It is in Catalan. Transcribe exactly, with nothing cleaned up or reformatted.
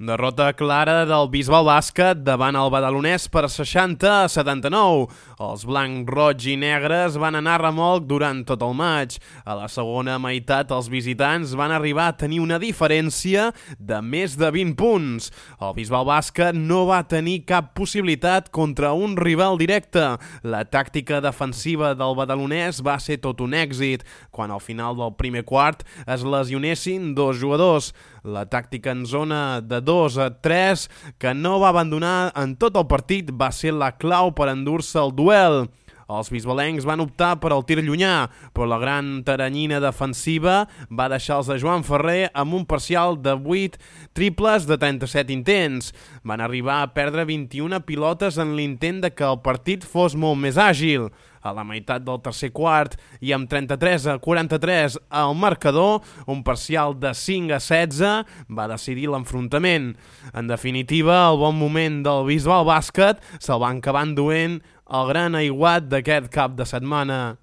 Derrota clara del Bisbal Bàsquet davant el Badalonès per seixanta a setanta-nou. Els blancs, roig i negres van anar a remolc durant tot el maig. A la segona meitat els visitants van arribar a tenir una diferència de més de vint punts. El Bisbal Bàsquet no va tenir cap possibilitat contra un rival directe. La tàctica defensiva del Badalonès va ser tot un èxit, quan al final del primer quart es lesionessin dos jugadors. La tàctica en zona de dos a tres, que no va abandonar en tot el partit, va ser la clau per endur-se el duel. Els bisbalencs van optar per al tir llunyà, però la gran taranyina defensiva va deixar els de Joan Ferrer amb un parcial de vuit triples de trenta-set intents. Van arribar a perdre vint-i-una pilotes en l'intent de que el partit fos molt més àgil. A la meitat del tercer quart i amb trenta-tres a quaranta-tres al marcador, un parcial de cinc a setze va decidir l'enfrontament. En definitiva, el bon moment del Bisbal Bàsquet se'l van acabar enduent el gran aiguat d'aquest cap de setmana.